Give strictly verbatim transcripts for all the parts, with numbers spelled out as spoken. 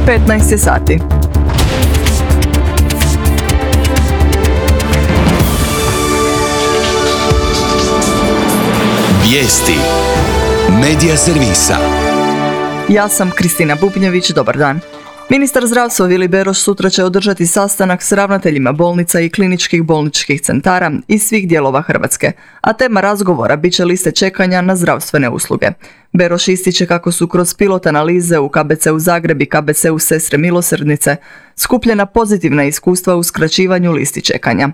petnaest je sati. Vijesti Medija servisa. Ja sam Kristina Bubnjević, dobar dan. Ministar zdravstva Vili Beroš sutra će održati sastanak s ravnateljima bolnica i kliničkih bolničkih centara iz svih dijelova Hrvatske, a tema razgovora bit će liste čekanja na zdravstvene usluge. Beroš ističe kako su kroz pilot analize u K B C-u Zagreb i K B C-u Sestre milosrdnice skupljena pozitivna iskustva u skraćivanju listi čekanja.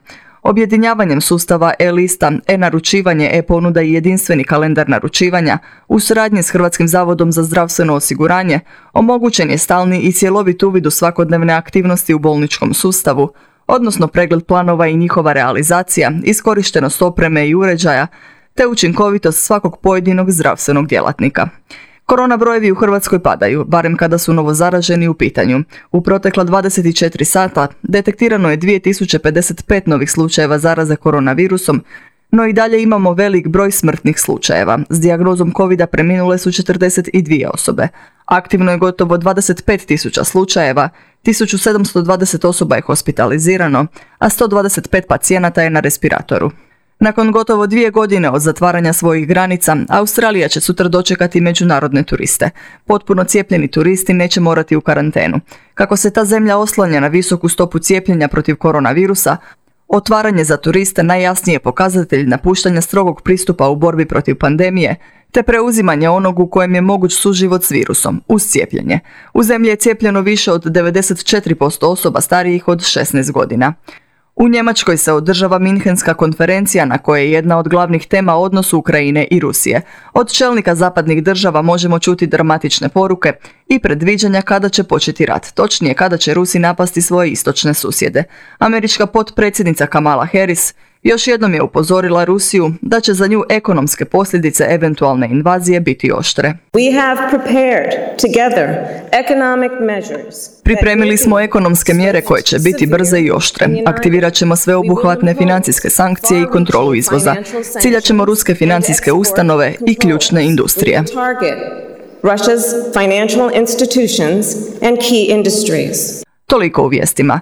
Objedinjavanjem sustava e-lista, e-naručivanje, e-ponuda i jedinstveni kalendar naručivanja u suradnji s Hrvatskim zavodom za zdravstveno osiguranje omogućen je stalni i cjelovit uvid u svakodnevne aktivnosti u bolničkom sustavu, odnosno pregled planova i njihova realizacija, iskorištenost opreme i uređaja, te učinkovitost svakog pojedinog zdravstvenog djelatnika. Korona brojevi u Hrvatskoj padaju, barem kada su novozaraženi u pitanju. U protekla dvadeset četiri sata detektirano je dvije tisuće pedeset pet novih slučajeva zaraze koronavirusom, no i dalje imamo velik broj smrtnih slučajeva. S dijagnozom covida preminule su četrdeset dvije osobe. Aktivno je gotovo dvadeset pet tisuća slučajeva, tisuću sedamsto dvadeset osoba je hospitalizirano, a sto dvadeset pet pacijenata je na respiratoru. Nakon gotovo dvije godine od zatvaranja svojih granica, Australija će sutra dočekati međunarodne turiste. Potpuno cijepljeni turisti neće morati u karantenu. Kako se ta zemlja oslanja na visoku stopu cijepljenja protiv koronavirusa, otvaranje za turiste najjasniji je pokazatelj napuštanja strogog pristupa u borbi protiv pandemije, te preuzimanje onog u kojem je moguć suživot s virusom, uz cijepljenje. U zemlji je cijepljeno više od devedeset četiri posto osoba starijih od šesnaest godina. U Njemačkoj se održava Minhenska konferencija na kojoj je jedna od glavnih tema odnos Ukrajine i Rusije. Od čelnika zapadnih država možemo čuti dramatične poruke i predviđanja kada će početi rat, točnije kada će Rusi napasti svoje istočne susjede. Američka potpredsjednica Kamala Harris još jednom je upozorila Rusiju da će za nju ekonomske posljedice eventualne invazije biti oštre. We have prepared together economic measures. Pripremili smo ekonomske mjere koje će biti brze i oštre. Aktivirat ćemo sveobuhvatne financijske sankcije i kontrolu izvoza. Ciljat ćemo ruske financijske ustanove i ključne industrije. Russia's financial institutions and key industries. Toliko u vijestima.